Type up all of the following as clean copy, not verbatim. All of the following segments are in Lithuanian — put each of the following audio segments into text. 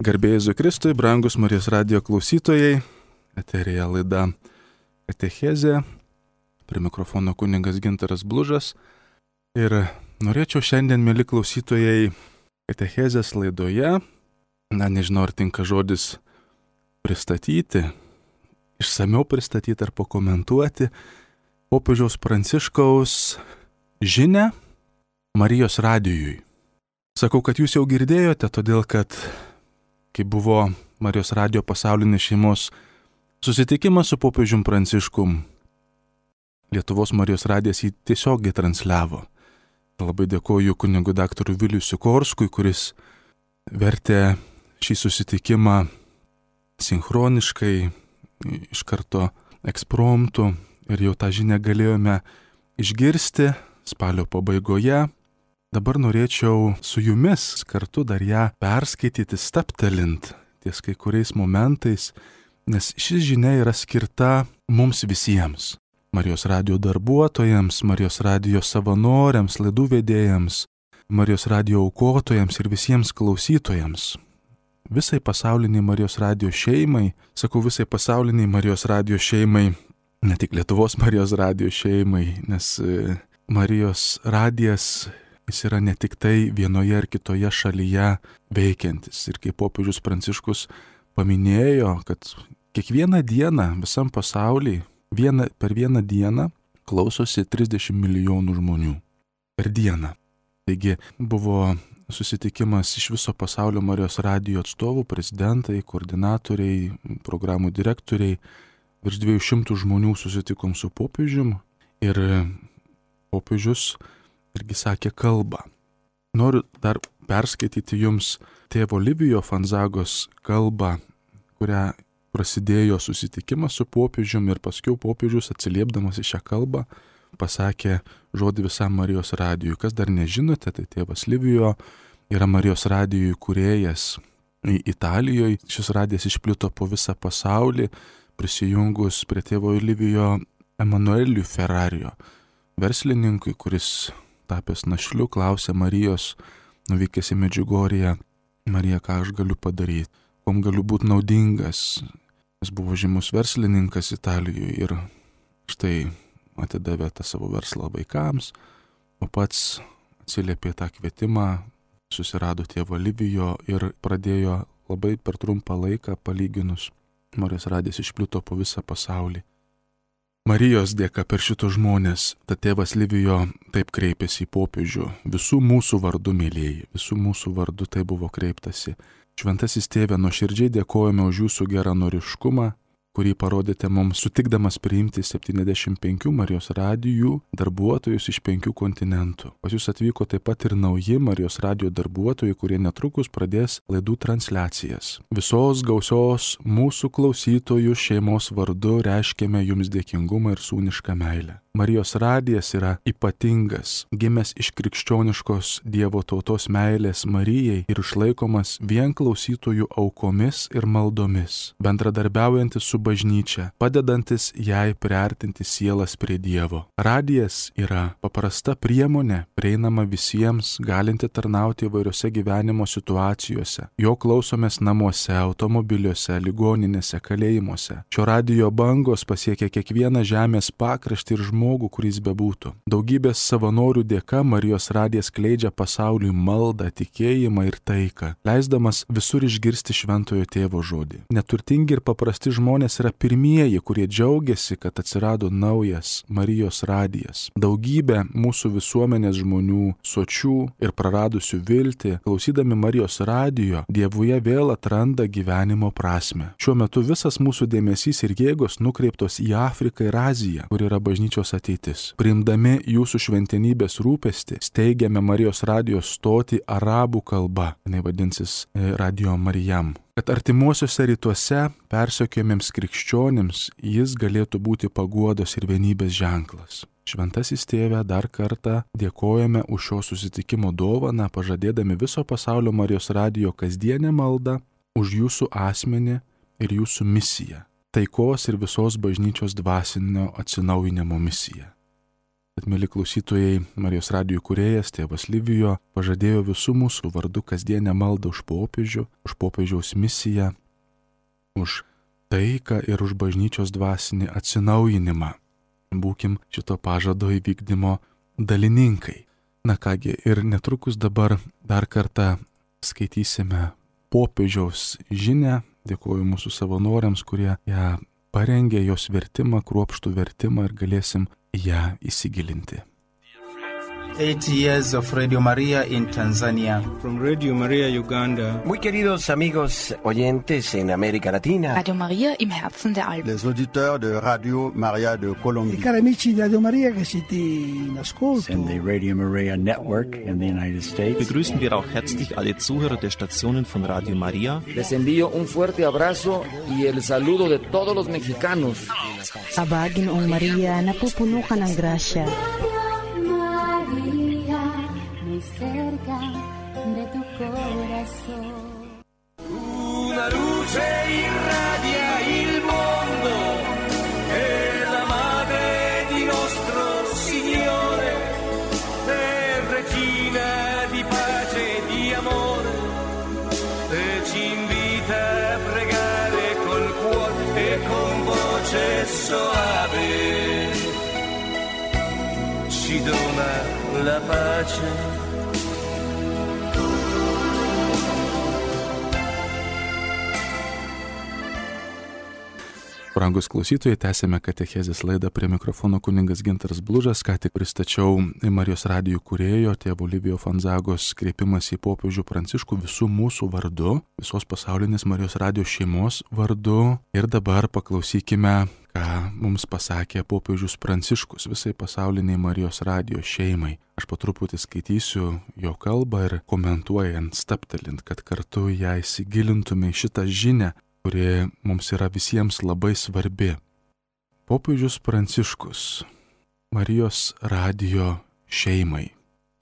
Garbė Jėzui Kristui, brangus Marijos radijo klausytojai, eterija laida Katechezė, prie mikrofono kunigas Gintaras Blužas. Ir norėčiau šiandien, mėly klausytojai, Katechezės laidoje, nežinau ar tinka žodis pristatyti, išsamiau pristatyti ar pakomentuoti popiežiaus Pranciškaus žinią Marijos radijui. Sakau, kad jūs jau girdėjote, todėl kad kai buvo Marijos radijo pasaulinės šeimos susitikimas su popiežium Pranciškum, Lietuvos Marijos radijas jį tiesiogiai transliavo. Labai dėkoju kunigui daktarui Viliui Sikorskui, kuris vertė šį susitikimą sinchroniškai, iš karto ekspromtu, ir jau tą žinią galėjome išgirsti spalio pabaigoje. Dabar norėčiau su jumis kartu dar ją perskaityti, stabtelint ties kai kuriais momentais, nes ši žinia yra skirta mums visiems. Marijos radijo darbuotojams, Marijos radijo savanoriams, laidų vedėjams, Marijos radijo aukotojams ir visiems klausytojams. Visai pasauliniai Marijos radijo šeimai, sakau visai pasauliniai Marijos radijo šeimai, ne tik Lietuvos Marijos radijo šeimai, nes Marijos radijas jis yra ne tik tai vienoje ar kitoje šalyje veikiantis. Ir kaip popiežius Pranciškus paminėjo, kad kiekvieną dieną visam pasaulyje, per vieną dieną klausosi 30 milijonų žmonių. Per dieną. Taigi buvo susitikimas iš viso pasaulio Marijos radijo atstovų, prezidentai, koordinatoriai, programų direktoriai. Virš 200 žmonių susitikom su popiežium ir popiežius irgi sakė kalbą. Noriu dar perskaityti jums tėvo Livijo Fanzagos kalbą, kurią prasidėjo susitikimas su popiežiumi, ir paskui popiežius atsiliepdamas į šią kalbą pasakė žodį visam Marijos radijui. Kas dar nežinote, tai tėvas Livijo yra Marijos radijų įkūrėjas Italijoje. Šis radijas išplito po visą pasaulį, prisijungus prie tėvo Livijo Emanueliui Ferrario, verslininkui, kuris tapęs našliu, klausė Marijos, nuvykęs į Medžiugorję: Marija, ką aš galiu padaryti, kuom galiu būti naudingas. Jis buvo žymus verslininkas Italijoje ir štai atidavė tą savo verslą vaikams, o pats atsiliepė tą kvietimą, susirado tėvą Livijo ir pradėjo labai per trumpą laiką palyginus. Marijos radijas išplito po visą pasaulį. Marijos dėka per šitos žmonės, tad tėvas Livijo taip kreipėsi į popiežių: visų mūsų vardu, mėlyjeji, visų mūsų vardu tai buvo kreiptasi. Šventasis tėve, nuoširdžiai dėkojame už jūsų geranoriškumą, kurį parodėte mums sutikdamas priimti 75 Marijos radijų darbuotojus iš 5 kontinentų. Pas jūs atvyko taip pat ir nauji Marijos radijo darbuotojai, kurie netrukus pradės laidų transliacijas. Visos gausios mūsų klausytojų šeimos vardu reiškiame jums dėkingumą ir sūnišką meilę. Marijos radijas yra ypatingas, gimęs iš krikščioniškos Dievo tautos meilės Marijai ir išlaikomas vien klausytojų aukomis ir maldomis, bendradarbiaujantis su bažnyčia, padedantis jai priartinti sielas prie Dievo. Radijas yra paprasta priemonė, prieinama visiems, galinti tarnauti įvairiose gyvenimo situacijose. Jo klausomės namuose, automobiliuose, ligoninėse, kalėjimuose. Šio radijo bangos pasiekia kiekvieną žemės pakraštį ir žmogų, kuris bebūtų. Daugybės savanorių dėka Marijos radijas skleidžia pasauliui maldą, tikėjimą ir taiką, leisdamas visur išgirsti šventojo tėvo žodį. Neturtingi ir paprasti žmonės yra pirmieji, kurie džiaugiasi, kad atsirado naujas Marijos radijas. Daugybė mūsų visuomenės žmonių, sočių ir praradusių viltį, klausydami Marijos radijo, Dievuje vėl atranda gyvenimo prasmę. Šiuo metu visas mūsų dėmesys ir jėgos nukreiptos į Afriką ir Aziją, kur yra bažnyčios ateitis. Priimdami jūsų šventenybės rūpestį, steigiame Marijos radijo stotį arabų kalba, jinai vadinsis Radio Marijam, kad artimuosiuose rytuose persekiojamiems krikščionims jis galėtų būti paguodos ir vienybės ženklas. Šventasis tėve, dar kartą dėkojame už šio susitikimo dovaną, pažadėdami viso pasaulio Marijos radijo kasdienę maldą už jūsų asmenį ir jūsų misiją. Taikos ir visos bažnyčios dvasinio atsinaujinimo misija. Bet, mėly klausytojai, Marijos radijo kūrėjas tėvas Livijo pažadėjo visų mūsų vardu kasdienę maldą už popiežių, už popiežiaus misiją, už taiką ir už bažnyčios dvasinį atsinaujinimą. Būkim šito pažado įvykdymo dalininkai. Na kągi, ir netrukus dabar dar kartą skaitysime popiežiaus žinią. Dėkuoju mūsų savanoriams, kurie ją parengė, jos vertimą, kruopštų vertimą ir galėsim ją įsigilinti. 8 years of Radio Maria in Tanzania. From Radio Maria Uganda. Muy queridos amigos oyentes en América Latina. Radio Maria im Herzen der Alpen. Les auditeurs de Radio Maria de Colombie. I cari amici di Radio Maria che siete in ascolto. And the Radio Maria Network in the United States. Begrüßen wir auch herzlich alle Zuhörer der Stationen von Radio Maria. Les envío un fuerte abrazo y el saludo de todos los mexicanos. Abagin ang Maria, napupuno ka ng grasya. Cerca de tu corazón. Una luce irradia il mondo, è la madre di nostro Signore, è regina di pace e di amore, e ci invita a pregare col cuore e con voce soave, ci dona la pace. Brangus klausytojai, tęsėme katechezės laidą, prie mikrofono kunigas Gintaras Blužas. Ką tik pristačiau Marijos radijo kūrėjo tėvo Livijo Fanzagos kreipimas į popiežių Pranciškų visų mūsų vardu, visos pasaulinės Marijos radijo šeimos vardu. Ir dabar paklausykime, ką mums pasakė popiežius Pranciškus visai pasauliniai Marijos radijo šeimai. Aš po truputį skaitysiu jo kalbą ir komentuojant, staptelint, kad kartu ją įsigilintume į šitą žinią, kuri mums yra visiems labai svarbi. Popiežius Pranciškus Marijos radijo šeimai.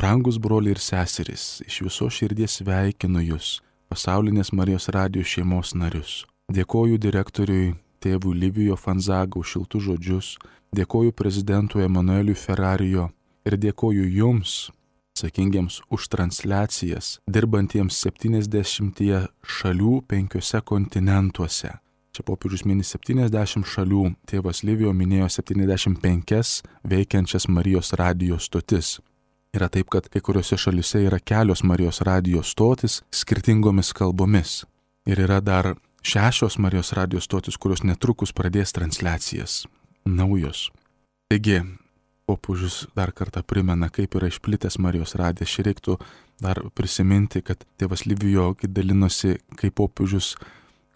Brangus broliai ir seserys, iš viso širdies sveikinu jūs, pasaulinės Marijos radijo šeimos narius. Dėkoju direktoriui tėvui Livijo Fanzaga už šiltus žodžius, dėkoju prezidentui Emanueliui Ferrarijo ir dėkoju jums, atsakingiems už transliacijas, dirbantiems 70 šalių 5 kontinentuose. Čia popiežius mini 70 šalių, tėvas Livijo minėjo 75 veikiančias Marijos radijo stotis. Yra taip, kad kai kuriuose šalyse yra kelios Marijos radijo stotis skirtingomis kalbomis. Ir yra dar 6 Marijos radijo stotis, kurios netrukus pradės transliacijas. Naujos. Taigi, popiežius dar kartą primena, kaip yra išplitęs Marijos radijas. Šį reiktų dar prisiminti, kad tėvas Livijo dalinosi, kaip popiežius,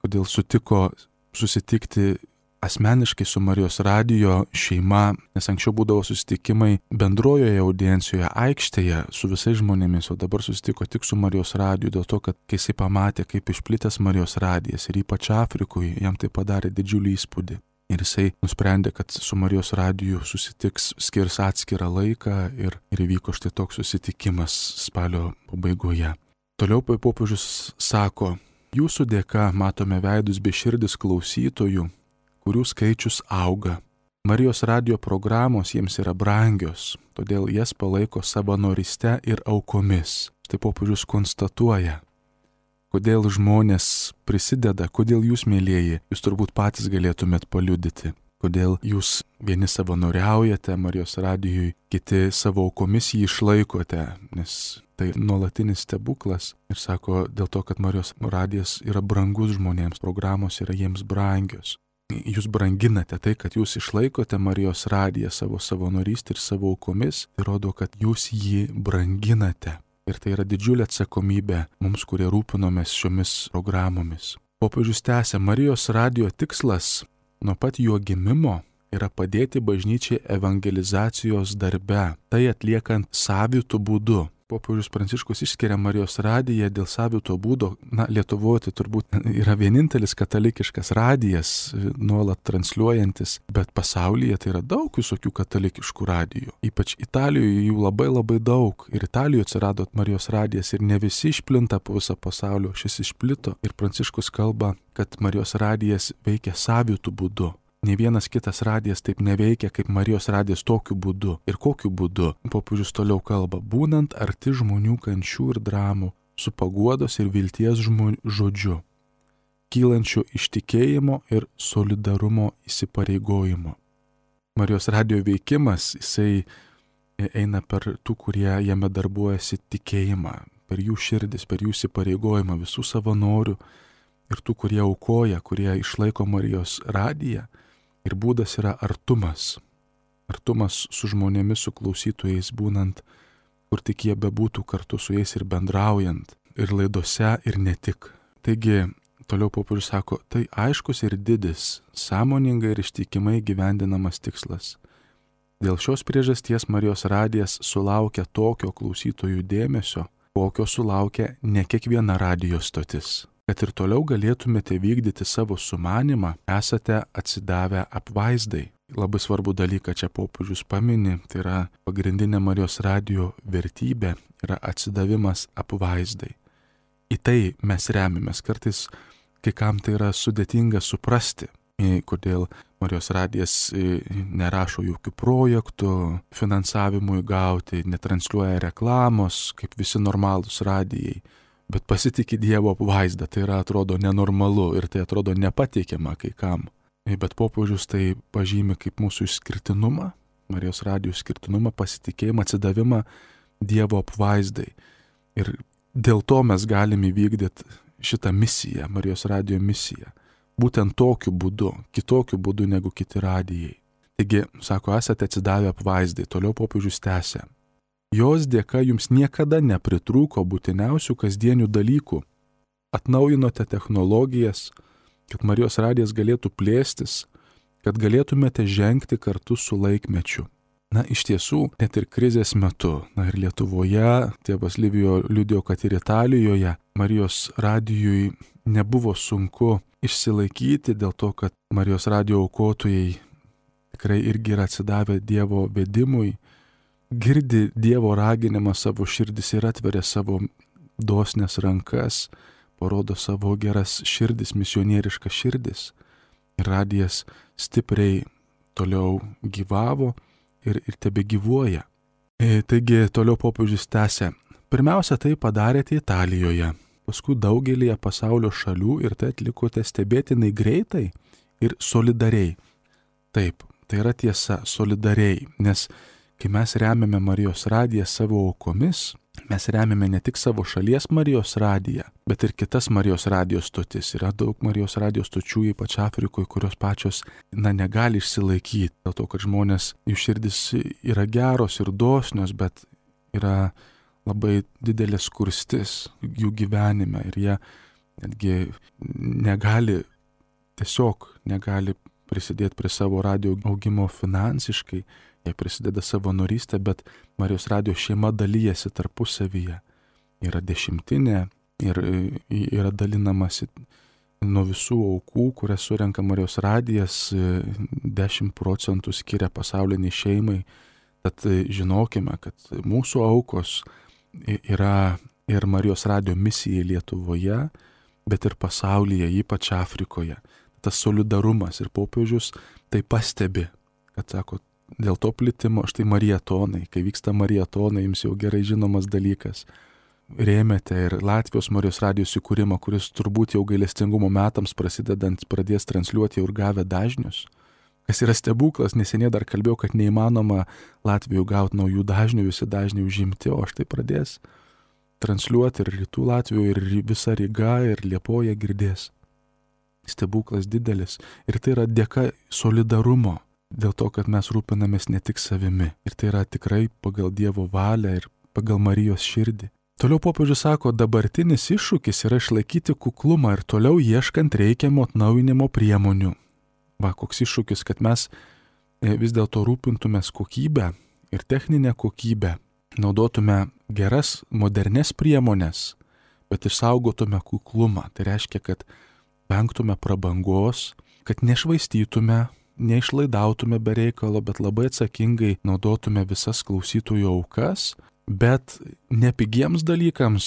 kodėl sutiko susitikti asmeniškai su Marijos radijo šeima, nes anksčiau būdavo susitikimai bendrojoje audiencijoje, aikštėje su visais žmonėmis, o dabar susitiko tik su Marijos radiju, dėl to, kad kai jisai pamatė, kaip išplitęs Marijos radijas ir ypač Afrikoje, jam tai padarė didžiulį įspūdį. Ir jisai nusprendė, kad su Marijos radiju susitiks, skirs atskirą laiką ir įvyko štai toks susitikimas spalio pabaigoje. Toliau popiežius sako, jūsų dėka matome veidus bei širdis klausytojų, kurių skaičius auga. Marijos radijo programos jiems yra brangios, todėl jas palaiko savanoryste ir aukomis. Štai popiežius konstatuoja, kodėl žmonės prisideda, kodėl jūs, mėlieji, jūs turbūt patys galėtumėt paliudyti, kodėl jūs vieni savanoriaujate Marijos radijui, kiti savo aukomis jį išlaikote, nes tai nuolatinis stebuklas. Ir sako, dėl to, kad Marijos radijas yra brangus žmonėms, programos yra jiems brangios. Jūs branginate tai, kad jūs išlaikote Marijos radiją savo savanorystę ir savo aukomis, tai rodo, kad jūs jį branginate. Ir tai yra didžiulė atsakomybė mums, kurie rūpinomės šiomis programomis. Popiežius tęsia, Marijos radijo tikslas nuo pat jo gimimo yra padėti bažnyčiai evangelizacijos darbe, tai atliekant savitų būdu. Popiežius Pranciškus išskiria Marijos radiją dėl savito būdo. Lietuvoje tai turbūt yra vienintelis katalikiškas radijas, nuolat transliuojantis, bet pasaulyje tai yra daug visokių katalikiškų radijų. Ypač Italijoje jų labai daug. Ir Italijoje atsirado Marijos radijas ir ne visi išplinta po visą pasaulio, šis išplito. Ir Pranciškus kalba, kad Marijos radijas veikia savitų būdu. Ne vienas kitas radijas taip neveikia, kaip Marijos radijas tokiu būdu. Ir kokiu būdu? Popiežius toliau kalba, būnant arti žmonių kančių ir dramų, su paguodos ir vilties žodžiu, kylančiu iš tikėjimo ir solidarumo įsipareigojimo. Marijos radijo veikimas, jisai eina per tų, kurie jame darbuojasi tikėjimą, per jų širdis, per jų įsipareigojimą, visų savanorių ir tų, kurie aukoja, kurie išlaiko Marijos radiją. Ir būdas yra artumas. Artumas su žmonėmis, su klausytojais, būnant, kur tik jie bebūtų kartu su jais ir bendraujant, ir laidose, ir ne tik. Taigi, toliau popiežius sako, tai aiškus ir didis, sąmoningai ir ištikimai gyvendinamas tikslas. Dėl šios priežasties Marijos radijas sulaukia tokio klausytojų dėmesio, kokio sulaukia ne kiekviena radijo stotis. Kad ir toliau galėtumėte vykdyti savo sumanimą, esate atsidavę apvaizdai. Labai svarbu dalyką čia popiežius pamini, tai yra pagrindinė Marijos radijo vertybė, yra atsidavimas apvaizdai. Į tai mes remiamės. Kartais kai kam tai yra sudėtinga suprasti, kodėl Marijos radijas nerašo jokių projektų finansavimui gauti, netransliuoja reklamos, kaip visi normalūs radijai. Bet pasitikė Dievo apvaizdą, tai yra atrodo nenormalu ir tai atrodo nepateikiama kai kam. Bet popiežius tai pažymi kaip mūsų išskirtinumą, Marijos radijo išskirtinumą, pasitikėjimą, atsidavimą Dievo apvaizdai. Ir dėl to mes galime įvykdyti šitą misiją, Marijos radijo misiją. Būtent tokiu būdu, kitokiu būdu negu kiti radijai. Taigi, sako, esate atsidavę apvaizdai, toliau popiežius tęsia. Jos dėka jums niekada nepritrūko būtiniausių kasdienių dalykų. Atnaujinote technologijas, kad Marijos radijas galėtų plėstis, kad galėtumėte žengti kartu su laikmečiu. Na, iš tiesų, net ir krizės metu, ir Lietuvoje, tėvas Livijo liudijo, kad ir Italijoje Marijos radijui nebuvo sunku išsilaikyti dėl to, kad Marijos radijo aukotojai tikrai irgi yra atsidavę Dievo vedimui, girdi Dievo raginimą savo širdis ir atveria savo dosnes rankas, parodo savo geras širdis, misionieriškas širdis. Ir radijas stipriai toliau gyvavo ir tebe gyvuoja. Taigi toliau popiežius tęsia. Pirmiausia, tai padarėte Italijoje, paskui daugelįje pasaulio šalių ir tai atlikote stebėtinai greitai ir solidariai. Taip, tai yra tiesa, solidariai, nes kai mes remiame Marijos radiją savo aukomis, mes remiame ne tik savo šalies Marijos radiją, bet ir kitas Marijos radijos stotis. Yra daug Marijos radijos stočių, ypač Afrikoje, kurios pačios, negali išsilaikyti. Dėl to, kad žmonės, jų širdis yra geros ir dosnios, bet yra labai didelė skurstis jų gyvenime ir jie netgi negali prisidėti prie savo radijo augimo finansiškai. Jie prisideda savanorystę, bet Marijos radijo šeima dalyjasi tarpusavyje. Yra dešimtinė ir yra dalinamasi nuo visų aukų, kurias surenka Marijos radijas, 10% skiria pasauliniai šeimai. Tad žinokime, kad mūsų aukos yra ir Marijos radijo misijai Lietuvoje, bet ir pasaulyje, ypač Afrikoje. Tas solidarumas ir popiežius tai pastebi, kad sako, dėl to plitimo, štai marietonai, kai vyksta marietonai, jums jau gerai žinomas dalykas. Rėmėte ir Latvijos Marijos radijos įkūrimą, kuris turbūt jau gailestingumo metams prasidedant pradės transliuoti jau ir gavę dažnius. Kas yra stebuklas, neseniai dar kalbėjau, kad neįmanoma Latvijoje gauti naujų dažnių, visi dažniai užimti, o štai pradės transliuoti ir rytų Latvijoje, ir visa Ryga, ir Liepoja girdės. Stebuklas didelis. Ir tai yra dėka solidarumo. Dėl to, kad mes rūpinamės ne tik savimi. Ir tai yra tikrai pagal Dievo valią ir pagal Marijos širdį. Toliau popiežius sako, dabartinis iššūkis yra išlaikyti kuklumą ir toliau ieškant reikiamo atnaujinimo priemonių. Va, koks iššūkis, kad mes vis dėlto rūpintumės kokybę ir techninę kokybę. Naudotume geras, modernes priemonės, bet išsaugotume kuklumą. Tai reiškia, kad vengtume prabangos, kad nešvaistytume, neišlaidautume be reikalo, bet labai atsakingai naudotume visas klausytojų aukas, bet ne pigiems dalykams,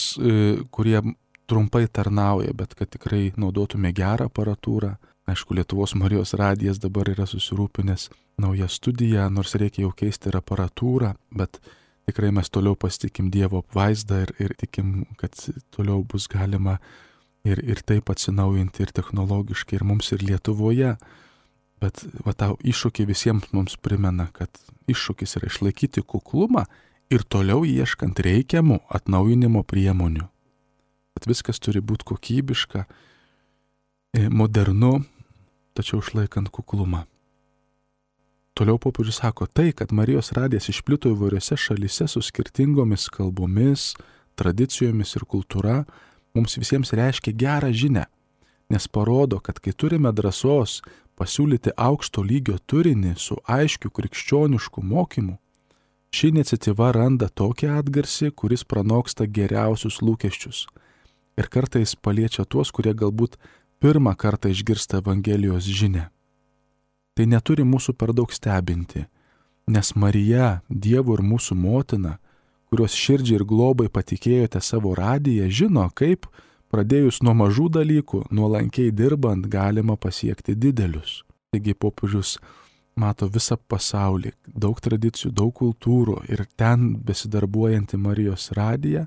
kurie trumpai tarnauja, bet kad tikrai naudotume gerą aparatūrą, Aišku, Lietuvos Marijos radijas dabar yra susirūpinęs naują studiją, nors reikia jau keisti ir aparatūrą, bet tikrai mes toliau pasitikim Dievo apvaizdą ir tikim, kad toliau bus galima ir taip atsinaujinti ir technologiškai, ir mums, ir Lietuvoje. Bet tau iššūkį visiems mums primena, kad iššūkis yra išlaikyti kuklumą ir toliau ieškant reikiamų atnaujinimo priemonių. Kad viskas turi būti kokybiška, modernu, tačiau išlaikant kuklumą. Toliau popiežius sako, tai, kad Marijos radijas išplito įvairiose šalyse su skirtingomis kalbomis, tradicijomis ir kultūra, mums visiems reiškia gerą žinią, nes parodo, kad kai turime drąsos pasiūlyti aukšto lygio turinį su aiškiu krikščionišku mokymu, ši iniciatyva randa tokį atgarsį, kuris pranoksta geriausius lūkesčius ir kartais paliečia tuos, kurie galbūt pirmą kartą išgirsta Evangelijos žinią. Tai neturi mūsų per daug stebinti, nes Marija, Dievo ir mūsų motina, kurios širdžiai ir globai patikėjote savo radiją, žino, kaip pradėjus nuo mažų dalykų, nuolankiai dirbant, galima pasiekti didelius. Taigi popiežius mato visą pasaulį, daug tradicijų, daug kultūrų ir ten besidarbuojanti Marijos radija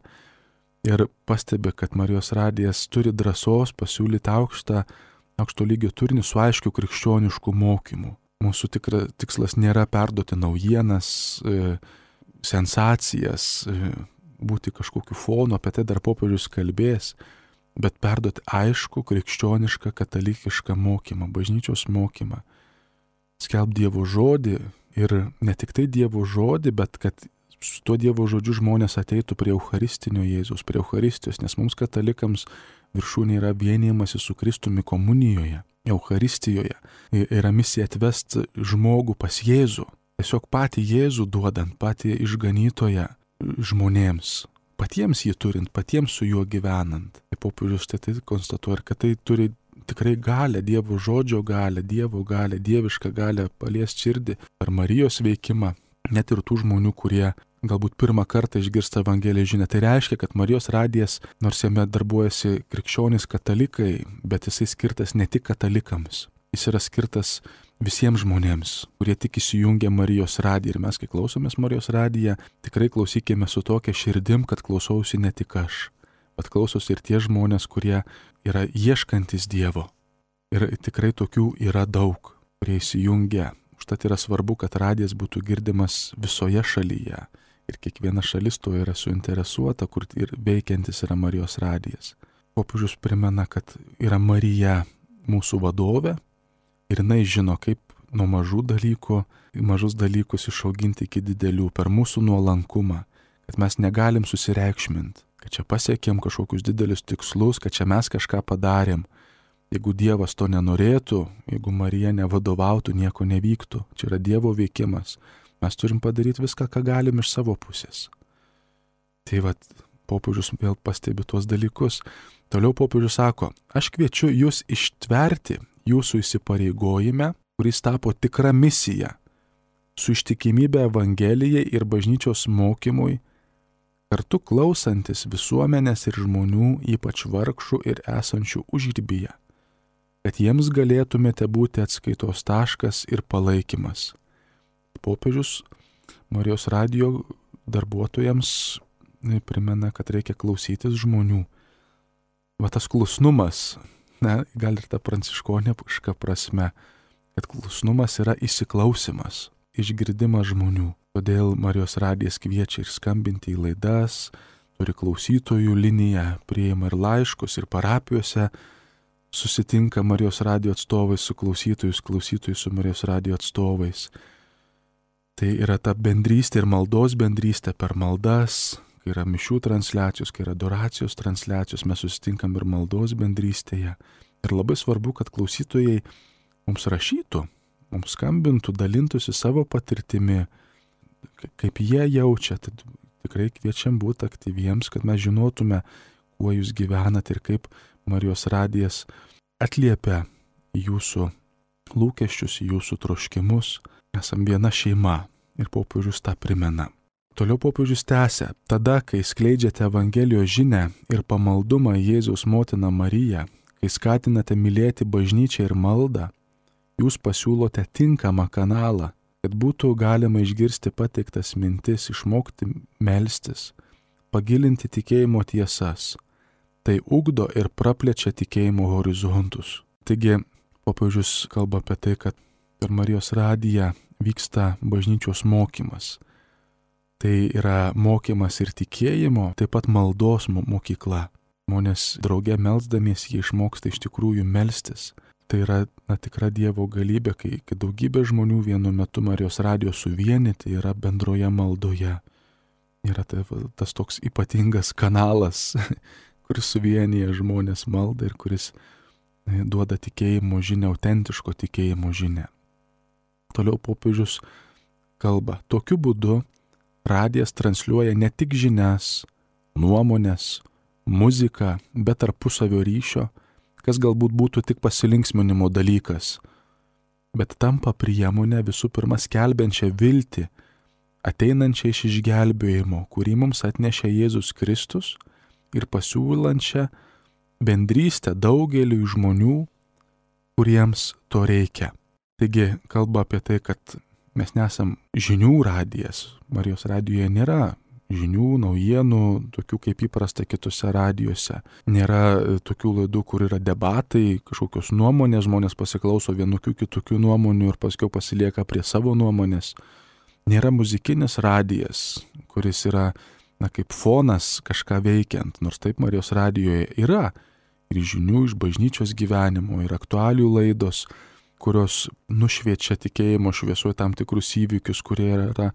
ir pastebi, kad Marijos radijas turi drąsos pasiūlyti aukšto lygio turinį su aiškiu krikščionišku mokymu. Mūsų tikslas nėra perduoti naujienas, sensacijas, būti kažkokiu fonu, apie tai dar popiežius kalbės, bet perduoti aišku krikščionišką katalikišką mokymą, bažnyčios mokymą. Skelb Dievo žodį ir ne tik tai Dievo žodį, bet kad su tuo Dievo žodžiu žmonės ateitų prie Eucharistinio Jėzaus, prie Eucharistijos, nes mums katalikams viršūnė yra vienijimasis su Kristumi komunijoje, Eucharistijoje. Yra misija atvesti žmogų pas Jėzų, tiesiog patį Jėzų duodant, patį išganytoją žmonėms, patiems jį turint, patiems su juo gyvenant. Tai popiežius tai konstatuoja, kad tai turi tikrai galę, Dievo žodžio galę, Dievo galę, dievišką galę paliesti širdį per Marijos veikimą, net ir tų žmonių, kurie galbūt pirmą kartą išgirsta Evangelijos žinią. Tai reiškia, kad Marijos radijas, nors jame darbuojasi krikščionys katalikai, bet jisai skirtas ne tik katalikams. Jis yra skirtas visiems žmonėms, kurie tik įsijungia Marijos radiją. Ir mes, kai klausomės Marijos radiją, tikrai klausykime su tokia širdim, kad klausausi ne tik aš, bet klausosi ir tie žmonės, kurie yra ieškantis Dievo. Ir tikrai tokių yra daug, kurie įsijungia. Užtat yra svarbu, kad radijas būtų girdimas visoje šalyje. Ir kiekviena šalis to yra suinteresuota, kur ir veikiantis yra Marijos radijas. Popiežius primena, kad yra Marija mūsų vadovė ir jinai žino, kaip nuo mažus dalykus išauginti iki didelių per mūsų nuolankumą, kad mes negalim susireikšminti, kad čia pasiekėm kažkokius didelius tikslus, kad čia mes kažką padarėm. Jeigu Dievas to nenorėtų, jeigu Marija nevadovautų, nieko nevyktų. Čia yra Dievo veikimas. Mes turim padaryti viską, ką galim iš savo pusės. Tai popiežius vėl pastebi tuos dalykus. Toliau popiežius sako, aš kviečiu jūs ištverti jūsų įsipareigojime, kuris tapo tikra misija, su ištikimybė Evangelijai ir bažnyčios mokymui, kartu klausantis visuomenės ir žmonių, ypač vargšų ir esančių užribyje, kad jiems galėtumėte būti atskaitos taškas ir palaikymas. Popiežius Marijos radijo darbuotojams primena, kad reikia klausytis žmonių. Tas klusnumas, gal ir ta pranciškoniška prasme, kad klusnumas yra įsiklausimas, išgirdimas žmonių. Todėl Marijos radijas kviečia ir skambinti į laidas, turi klausytojų liniją, priima ir laiškus, ir parapijose susitinka Marijos radijo atstovai su klausytojai su Marijos radijo atstovais. Tai yra ta bendrystė ir maldos bendrystė per maldas, kai yra mišių transliacijos, kai yra adoracijos transliacijos, mes susitinkam ir maldos bendrystėje. Ir labai svarbu, kad klausytojai mums rašytų, mums skambintų, dalintųsi savo patirtimi, kaip jie jaučia. Tad tikrai kviečiam būti aktyviems, kad mes žinotume, kuo jūs gyvenat ir kaip Marijos radijas atliepia jūsų lūkesčius, jūsų troškimus. Esam viena šeima ir popiežius tą primena. Toliau popiežius tęsia, tada, kai skleidžiate Evangelijos žinią ir pamaldumą Jėzaus motiną Mariją, kai skatinate mylėti bažnyčią ir maldą, jūs pasiūlote tinkamą kanalą, kad būtų galima išgirsti pateiktas mintis, išmokti melstis, pagilinti tikėjimo tiesas. Tai ugdo ir praplečia tikėjimo horizontus. Taigi, popiežius kalba apie tai, kad per Marijos radiją vyksta bažnyčios mokymas. Tai yra mokymas ir tikėjimo, taip pat maldos mokykla. Žmonės drauge melsdamiesi jie išmoksta iš tikrųjų melstis. Tai yra tikra Dievo galybė, kai daugybė žmonių vienu metu Marijos radijo suvienyti yra bendroje maldoje. Yra tas toks ypatingas kanalas, kuris suvienyje žmonės maldą ir kuris duoda tikėjimo žinią, autentiško tikėjimo žinią. Toliau popiežius kalba, tokiu būdu radijas transliuoja ne tik žinias, nuomonės, muziką, bet tarpusavio ryšio, kas galbūt būtų tik pasilinksminimo dalykas, bet tampa priemonė visų pirma skelbiančią viltį, ateinančią iš išgelbėjimo, kurį mums atnešė Jėzus Kristus ir pasiūlančią bendrystę daugeliui žmonių, kuriems to reikia. Taigi kalba apie tai, kad mes nesam žinių radijas. Marijos radijoje nėra žinių, naujienų, tokių kaip įprasta kitose radijuose. Nėra tokių laidų, kur yra debatai, kažkokios nuomonės, žmonės pasiklauso vienokių kitokių nuomonių ir paskui pasilieka prie savo nuomonės. Nėra muzikinis radijas, kuris yra kaip fonas kažką veikiant, nors taip Marijos radijoje yra ir žinių iš bažnyčios gyvenimo, ir aktualijų laidos, kurios nušviečia tikėjimo šviesoje tam tikrus įvykius, kurie yra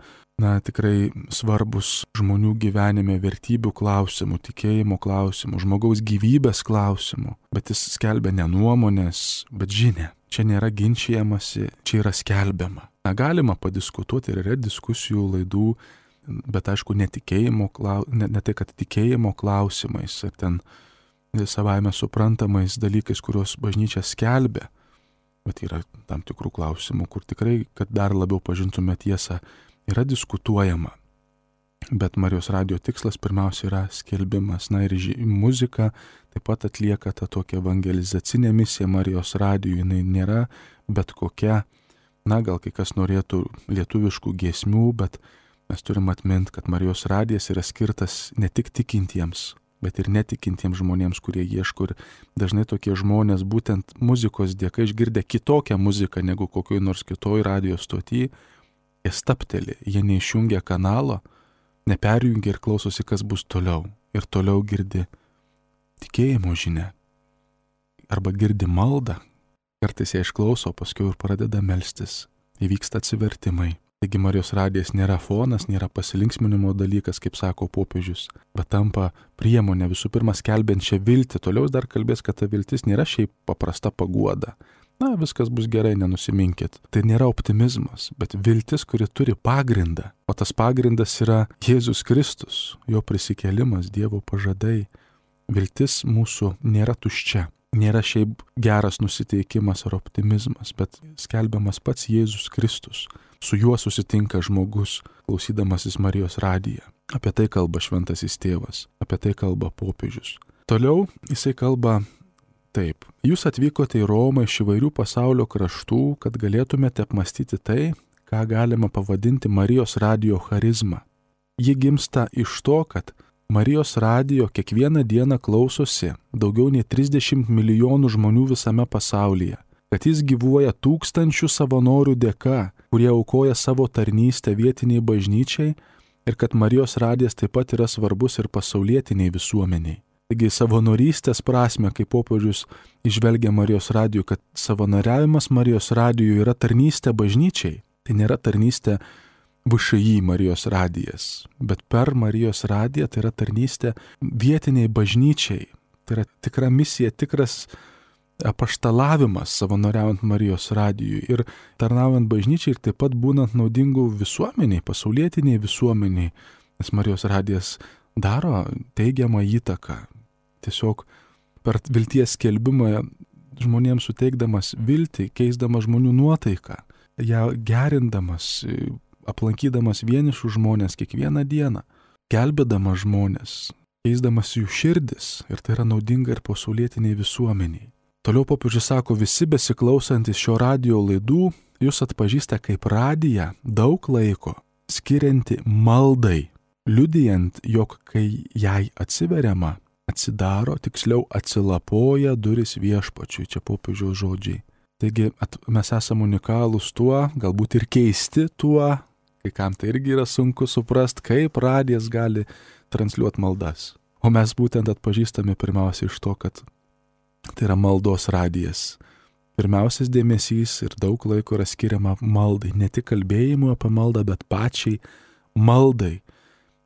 tikrai svarbus žmonių gyvenime, vertybių klausimų, tikėjimo klausimų, žmogaus gyvybės klausimų. Bet jis skelbia ne nuomonės, bet žinią. Čia nėra ginčijamasi, čia yra skelbiama. Galima padiskutuoti ir yra diskusijų laidų, bet aišku, ne tai, kad tikėjimo klausimais ir ten savaime suprantamais dalykais, kuriuos bažnyčia skelbia. Bet yra tam tikrų klausimų, kur tikrai, kad dar labiau pažintume tiesą, yra diskutuojama. Bet Marijos radijo tikslas pirmiausia yra skelbimas. Ir muzika taip pat atlieka tą tokią evangelizacinę misiją Marijos radijui. Jinai nėra bet kokia, gal kai kas norėtų lietuviškų giesmių, bet mes turim atminti, kad Marijos radijas yra skirtas ne tik tikintiems, bet ir netikintiems žmonėms, kurie ieško. Ir dažnai tokie žmonės būtent muzikos dėka išgirdę kitokią muziką negu kokioj nors kitoj radijo stoty, jie stapteli, jie neišjungia kanalo, neperjungia ir klausosi, kas bus toliau. Ir toliau girdi tikėjimo žinią. Arba girdi maldą. Kartais ją išklauso, paskui ir pradeda melstis. Įvyksta atsivertimai. Taigi Marijos radijas nėra fonas, nėra pasilinksminimo dalykas, kaip sako popiežius, bet tampa priemonė visų pirma skelbiančią viltį. Toliau dar kalbės, kad ta viltis nėra šiaip paprasta paguoda. Viskas bus gerai, nenusiminkit. Tai nėra optimizmas, bet viltis, kuri turi pagrindą. O tas pagrindas yra Jėzus Kristus, jo prisikėlimas, Dievo pažadai. Viltis mūsų nėra tuščia. Nėra šiaip geras nusiteikimas ar optimizmas, bet skelbiamas pats Jėzus Kristus. Su juo susitinka žmogus, klausydamasis Marijos radiją. Apie tai kalba šventasis tėvas, apie tai kalba popiežius. Toliau jisai kalba taip. Jūs atvykote į Romą iš įvairių pasaulio kraštų, kad galėtumėte apmastyti tai, ką galima pavadinti Marijos radijo charizma. Ji gimsta iš to, kad Marijos radijo kiekvieną dieną klausosi daugiau nei 30 milijonų žmonių visame pasaulyje, kad jis gyvuoja tūkstančių savanorių dėka, kurie aukoja savo tarnystę vietiniai bažnyčiai ir kad Marijos radijas taip pat yra svarbus ir pasaulietiniai visuomeniai. Taigi savanorystės prasme, kaip popiežius išvelgia Marijos radijų, kad savanoriavimas Marijos radijų yra tarnystė bažnyčiai. Tai nėra tarnystė VŠI Marijos radijas, bet per Marijos radiją tai yra tarnystė vietiniai bažnyčiai. Tai yra tikra misija, tikras apaštalavimas savanoriaujant Marijos radijui ir tarnaujant bažnyčiai ir taip pat būnant naudingų visuomeniai, pasaulietiniai visuomeniai, nes Marijos radijas daro teigiamą įtaką. Tiesiog per vilties skelbimą žmonėms suteikdamas viltį, keisdamas žmonių nuotaiką, ją gerindamas, aplankydamas vienišus žmonės kiekvieną dieną, gelbėdamas žmonės, keisdamas jų širdis, ir tai yra naudinga ir pasaulietiniai visuomeniai. Toliau popiežius sako, visi besiklausantis šio radijo laidų, jūs atpažįsta kaip radiją daug laiko skirianti maldai, liudijant, jog kai jai atsiveriama, atsidaro, tiksliau atsilapoja duris viešpačiui, čia popiežiaus žodžiai. Taigi mes esame unikalūs tuo, galbūt ir keisti tuo, kai kam tai irgi yra sunku suprasti, kaip radijas gali transliuoti maldas. O mes būtent atpažįstame pirmiausia iš to, kad tai yra maldos radijas. Pirmiausias dėmesys ir daug laiko yra skiriama maldai, ne tik kalbėjimui apie maldą, bet pačiai maldai.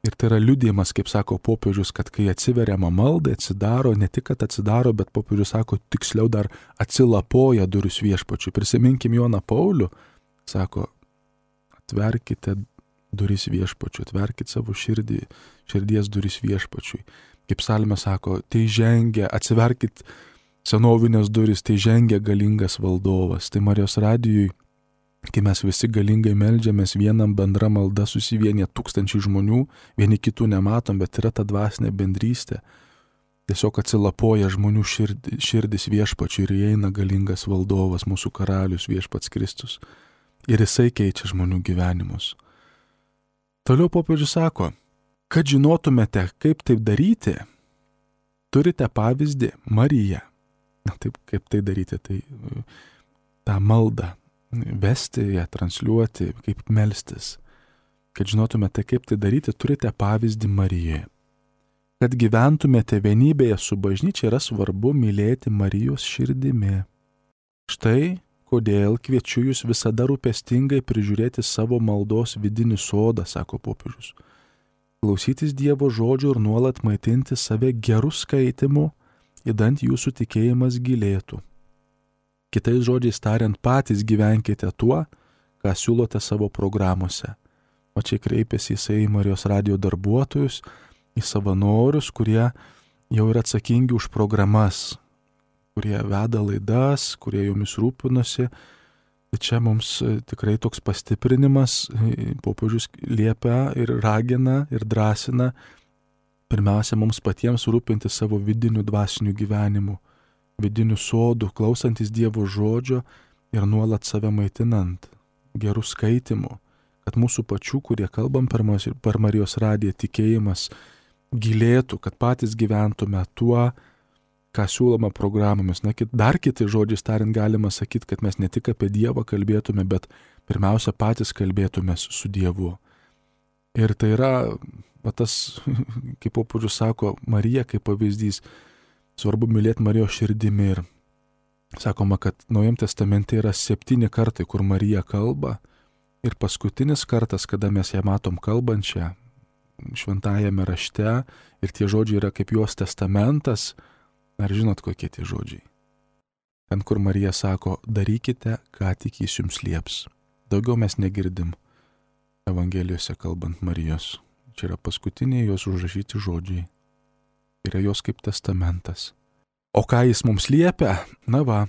Ir tai yra liudijimas, kaip sako popiežius, kad kai atsiveriama maldai, atsidaro, ne tik kad atsidaro, bet popiežius sako, tiksliau dar atsilapoja duris viešpačiui. Prisiminkim Joną Paulių, sako, atverkite duris viešpačiui, atverkite savo širdies duris viešpačiui. Kaip psalmė sako, tai žengia, atsiverkit senovinės duris, tai žengia galingas valdovas. Tai Marijos radijui, kai mes visi galingai meldžiamės, vienam bendra malda susivienyje tūkstančiai žmonių, vieni kitų nematom, bet yra ta dvasinė bendrystė. Tiesiog atsilapoja žmonių širdis viešpačiui ir įeina galingas valdovas, mūsų karalius viešpats Kristus. Ir jisai keičia žmonių gyvenimus. Toliau popiežius sako, kad žinotumėte, kaip taip daryti, turite pavyzdį Mariją. Na taip, kaip tai daryti, tai tą maldą vesti, ją transliuoti, kaip melstis. Kad žinotumėte, kaip tai daryti, turite pavyzdį Marijoje. Kad gyventumėte vienybėje su bažnyčia, yra svarbu mylėti Marijos širdimi. Štai kodėl kviečiu jūs visada rūpestingai prižiūrėti savo maldos vidinį sodą, sako popiežius. Klausytis Dievo žodžio ir nuolat maitinti save gerų skaitimų, idant jūsų tikėjimas gilėtų. Kitais žodžiais tariant, patys gyvenkite tuo, ką siūlote savo programuose. O čia kreipiasi jisai į Marijos radijo darbuotojus, į savanorius, kurie jau yra atsakingi už programas, kurie veda laidas, kurie jomis rūpinosi. Tai čia mums tikrai toks pastiprinimas, popiežius liepia ir ragina ir drąsina pirmiausia mums patiems rūpinti savo vidinių dvasinių gyvenimų, vidinių sodų, klausantis Dievo žodžio ir nuolat save maitinant gerų skaitimų, kad mūsų pačių, kurie kalbam per Marijos radiją, tikėjimas gilėtų, kad patys gyventume tuo, ką siūloma programomis. Na, dar kiti žodžiais tariant galima sakyti, kad mes ne tik apie Dievą kalbėtume, bet pirmiausia patys kalbėtumės su Dievu. Ir tai yra, tas, kaip popiežius sako, Marija kaip pavyzdys, svarbu mylėti Marijos širdimi. Ir sakoma, kad Naujam testamente yra 7 kartai, kur Marija kalba. Ir paskutinis kartas, kada mes ją matom kalbančią šventajame rašte, ir tie žodžiai yra kaip jos testamentas. Ar žinot, kokie tie žodžiai? Ten, kur Marija sako, darykite, ką tik jis jums lieps. Daugiau mes negirdim Evangelijose kalbant Marijos. Čia yra paskutiniai jos užrašyti žodžiai. Yra jos kaip testamentas. O ką jis mums liepia? Na va,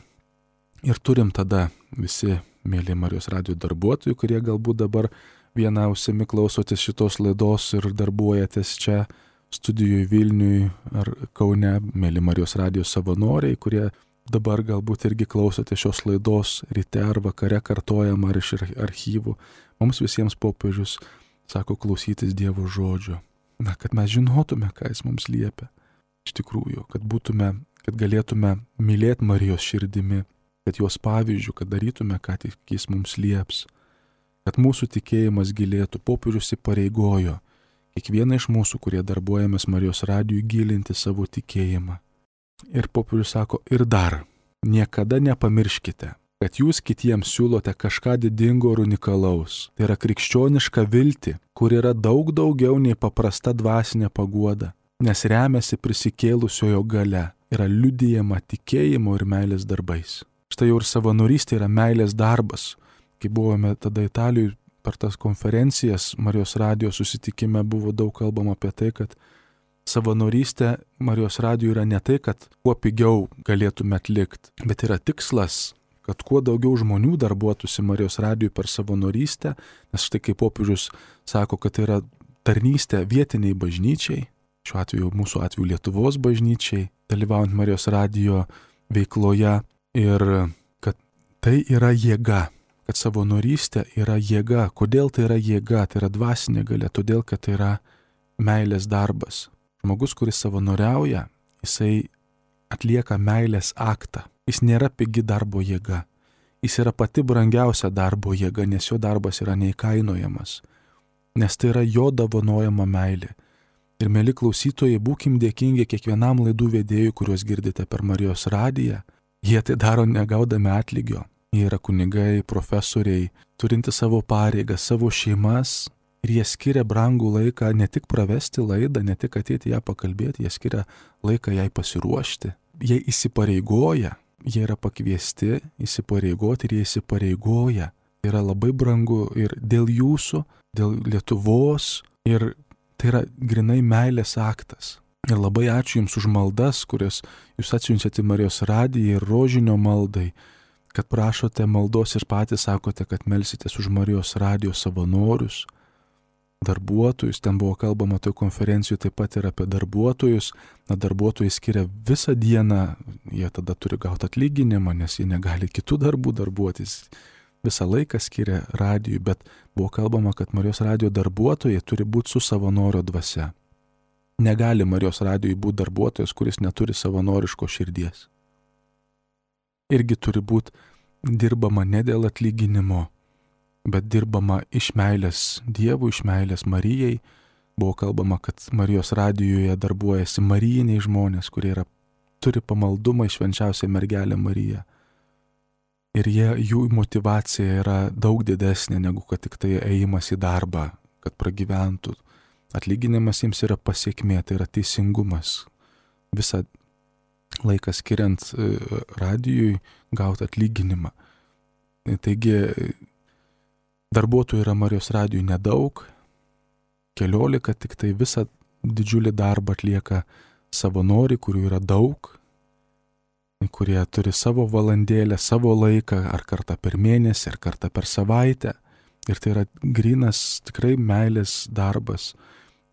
ir turim tada visi mėly Marijos radijo darbuotojai, kurie galbūt dabar viena ausimi klausotės šitos laidos ir darbuojatės čia studijoje Vilniui ar Kaune, mėly Marijos radijo savanoriai, kurie dabar galbūt irgi klausote šios laidos ryte ar vakare kartojama ar iš archyvų. Mums visiems popiežius sako klausytis Dievo žodžio. Na, kad mes žinotume, ką jis mums liepia. Iš tikrųjų, kad galėtume mylėti Marijos širdimi, kad jos pavyzdžių, kad darytume, ką tik jis mums lieps. Kad mūsų tikėjimas gilėtų, popiežius įpareigojo kiekvieną iš mūsų, kurie darbuojamės Marijos radijui, gilinti savo tikėjimą. Ir popiežius sako, ir dar, niekada nepamirškite, kad jūs kitiems siūlote kažką didingo ir unikalaus. Tai yra krikščioniška viltį, kur yra daug daugiau nei paprasta dvasinė paguoda, nes remiasi prisikėlusiojo gale, yra liudijama tikėjimo ir meilės darbais. Štai jau ir savanorystė yra meilės darbas. Kai buvome tada Italijoje per tas konferencijas, Marijos radijo susitikime buvo daug kalbama apie tai, kad savanorystė Marijos radijo yra ne tai, kad kuo pigiau galėtume atlikti, bet yra tikslas, kad kuo daugiau žmonių darbuotųsi Marijos radijui per savanorystę, nes štai kaip popiežius sako, kad tai yra tarnystė vietiniai bažnyčiai, šiuo atveju mūsų atveju Lietuvos bažnyčiai, dalyvaujant Marijos radijo veikloje ir kad tai yra jėga, kad savanorystė yra jėga. Kodėl tai yra jėga? Tai yra dvasinė galia, todėl kad tai yra meilės darbas. Žmogus, kuris savanoriauja, jisai atlieka meilės aktą. Jis nėra pigi darbo jėga. Jis yra pati brangiausia darbo jėga, nes jo darbas yra neįkainojamas. Nes tai yra jo dovanojama meilė. Ir mėly klausytojai, būkim dėkingi kiekvienam laidų vedėjui, kuriuos girdite per Marijos radiją. Jie tai daro negaudami atlygio. Jie yra kunigai, profesoriai, turinti savo pareigas, savo šeimas. Ir jie skiria brangų laiką ne tik pravesti laidą, ne tik ateiti ją pakalbėti, jie skiria laiką jai pasiruošti. Jie įsipareigoja, jie yra pakviesti įsipareigoti ir jie įsipareigoja. Tai yra labai brangu ir dėl jūsų, dėl Lietuvos ir tai yra grinai meilės aktas. Ir labai ačiū Jums už maldas, kurias Jūs atsiunčiate Marijos radiją ir rožinio maldai, kad prašote maldos ir patys sakote, kad melsitės už Marijos radijo savanorius, darbuotojus. Ten buvo kalbama toj konferencijoje taip pat ir apie darbuotojus. Darbuotojai skiria visą dieną, jie tada turi gauti atlyginimą, nes jie negali kitų darbų darbuotis. Visą laiką skiria radijui, bet buvo kalbama, kad Marijos radijo darbuotojai turi būti su savanorio dvasia. Negali Marijos radijui būti darbuotojas, kuris neturi savanoriško širdies. Irgi turi būti dirbama ne dėl atlyginimo, bet dirbama iš meilės Dievui, iš meilės Marijai. Buvo kalbama, kad Marijos radijoje darbuojasi marijiniai žmonės, kurie turi pamaldumą į švenčiausią mergelę Mariją. Ir jų motyvacija yra daug didesnė negu kad tik tai ėjimas į darbą, kad pragyventų. Atlyginimas jiems yra pasiekmė, tai yra teisingumas. Visą laiką skiriant radijui gauti atlyginimą. Taigi darbuotojų yra Marijos radijui nedaug, 14, tik tai visą didžiulį darbą atlieka savanoriai, kurių yra daug, kurie turi savo valandėlę, savo laiką, ar kartą per mėnesį, ar kartą per savaitę. Ir tai yra grynas tikrai meilės darbas.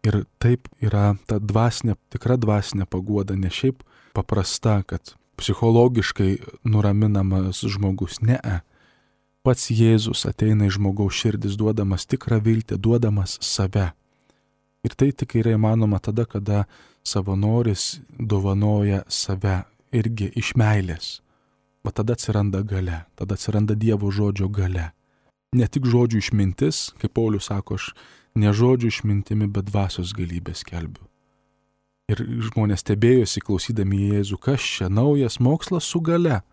Ir taip yra ta dvasinė, tikra dvasinė paguoda, ne šiaip paprasta, kad psichologiškai nuraminamas žmogus. Ne. Pats Jėzus ateina į žmogaus širdis, duodamas tikrą viltį, duodamas save. Ir tai tik yra įmanoma tada, kada savanoris dovanoja save irgi iš meilės. Va tada atsiranda galia, tada atsiranda Dievo žodžio galia. Ne tik žodžių išmintis, kaip Paulius sako, aš ne žodžių išmintimi, bet dvasios galybę skelbiu. Ir žmonės stebėjosi klausydami Jėzų, kas čia naujas mokslas su galia.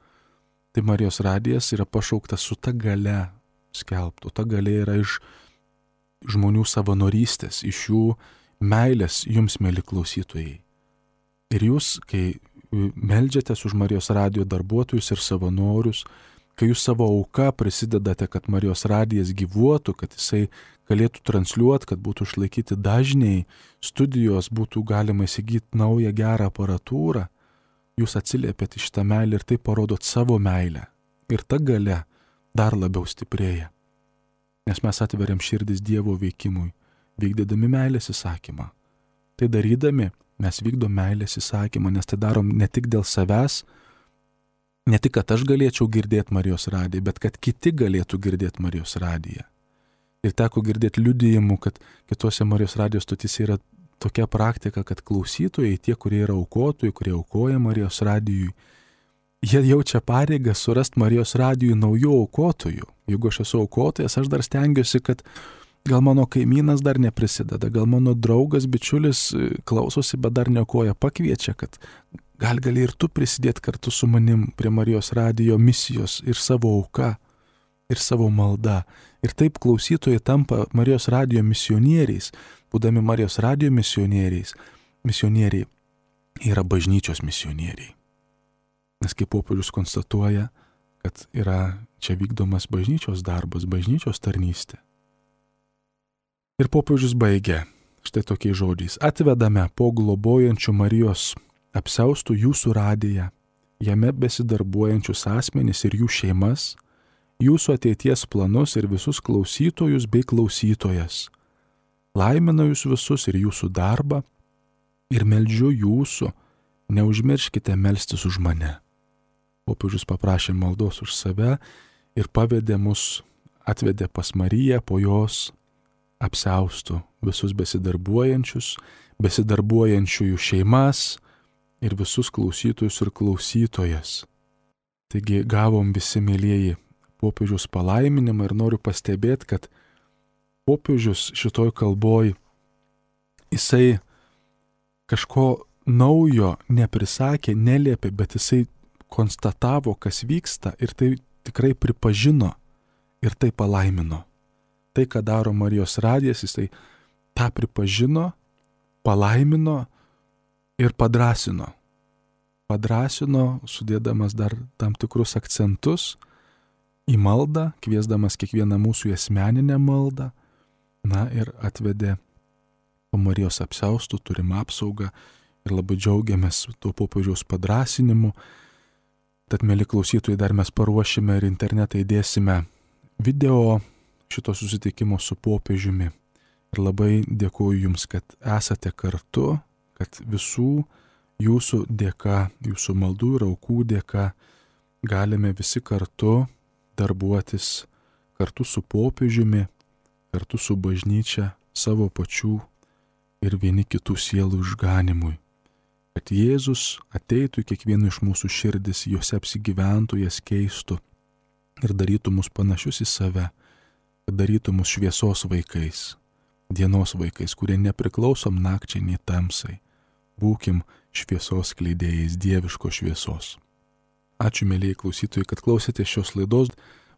Tai Marijos radijas yra pašauktas su ta galia skelbtų. Ta galia yra iš žmonių savanorystės, iš jų meilės jums, mėly klausytojai. Ir jūs, kai meldžiatės už Marijos radijo darbuotojus ir savanorius, kai jūs savo auką prisidedate, kad Marijos radijas gyvuotų, kad jisai galėtų transliuoti, kad būtų išlaikyti dažniai, studijos, būtų galima įsigyti naują gerą aparatūrą, jūs atsiliepėte šitą meilę ir tai parodot savo meilę. Ir ta galia dar labiau stiprėja. Nes mes atveriam širdis Dievo veikimui, vykdydami meilės įsakymą. Tai darydami mes vykdom meilės įsakymą, nes tai darom ne tik dėl savęs, ne tik, kad aš galėčiau girdėti Marijos radiją, bet kad kiti galėtų girdėti Marijos radiją. Ir teko girdėti liudijimų, kad kitose Marijos radijos stotyse yra tokia praktika, kad klausytojai, tie, kurie yra aukotojai, kurie aukoja Marijos radijui, jie jaučia pareigą surasti Marijos radijui naujų aukotojų. Jeigu aš esu aukotojas, aš dar stengiuosi, kad gal mano kaimynas dar neprisideda, gal mano draugas, bičiulis klausosi, bet dar neaukoja, pakviečia, kad gali ir tu prisidėti kartu su manim prie Marijos radijo misijos ir savo auka, ir savo malda. Ir taip klausytojai tampa Marijos radijo misionieriais. Būdami Marijos radijo misionieriai yra bažnyčios misionieriai. Nes kaip popiežius konstatuoja, kad yra čia vykdomas bažnyčios darbas, bažnyčios tarnystė. Ir popiežius baigia štai tokiais žodžiais. Atvedame po globojančių Marijos apsiaustų jūsų radiją, jame besidarbuojančius asmenis ir jų šeimas, jūsų ateities planus ir visus klausytojus bei klausytojas. Laimina jūs visus ir jūsų darbą, ir meldžiu jūsų, neužmirškite melstis už mane. Popiežius paprašė maldos už save ir atvedė pas Mariją, po jos apsiaustų visus besidarbuojančiųjų šeimas ir visus klausytojus ir klausytojas. Taigi gavom visi, mėlieji, popiežiaus palaiminimą ir noriu pastebėti, kad popiežius šitoj kalboj, jisai kažko naujo neprisakė, neliepė, bet jisai konstatavo, kas vyksta ir tai tikrai pripažino ir tai palaimino. Tai, ką daro Marijos radijas, jisai tą pripažino, palaimino ir padrasino. Padrasino, sudėdamas dar tam tikrus akcentus į maldą, kviesdamas kiekvieną mūsų į asmeninę maldą, ir atvedė po Marijos apsiaustų, turim apsaugą ir labai džiaugiamės tuo popiežiaus padrasinimu. Tad, mėly klausytojai, dar mes paruošime ir internetą įdėsime video šito susitikimo su popiežiumi. Ir labai dėkuoju Jums, kad esate kartu, kad visų jūsų dėka, jūsų maldų ir aukų dėka galime visi kartu darbuotis, kartu su popiežiumi, kartu su bažnyčia, savo pačių ir vieni kitų sielų išganimui. Kad Jėzus ateitų į kiekvieną iš mūsų širdis, juose apsigyventų, jas keistų ir darytų mus panašius į save, kad darytų mus šviesos vaikais, dienos vaikais, kurie nepriklausom nakčiai nei tamsai. Būkim šviesos skleidėjais, dieviškos šviesos. Ačiū, mėlyjei klausytojai, kad klausėte šios laidos.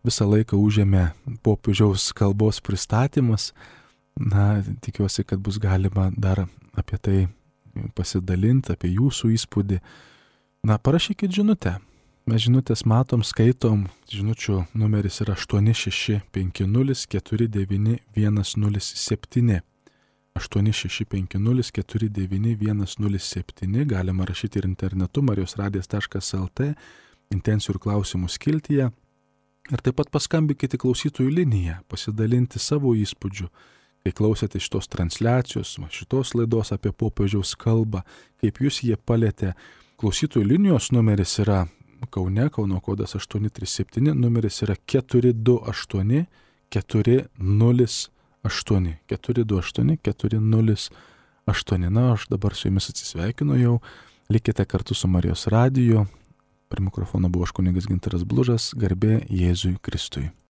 Visą laiką užėmė popiežiaus kalbos pristatymas. Tikiuosi, kad bus galima dar apie tai pasidalinti, apie jūsų įspūdį. Parašykit žinutę. Mes žinutės matom, skaitom. Žinučių numeris yra 8650491007. 8650491007. Galima rašyti ir internetu marijosradijas.lt, intencijų ir klausimų skiltyje. Ir taip pat paskambinkite klausytojų liniją, pasidalinti savo įspūdžių, kai klausėte šitos transliacijos, šitos laidos apie popiežiaus kalbą, kaip jūs jie palietė. Klausytojų linijos numeris yra Kaune, Kauno kodas 837, numeris yra 428 408. 428 408. Aš dabar su jumis atsisveikinu jau. Likite kartu su Marijos radiju. Prie mikrofono buvo kunigas Gintaras Blužas. Garbė Jėzui Kristui.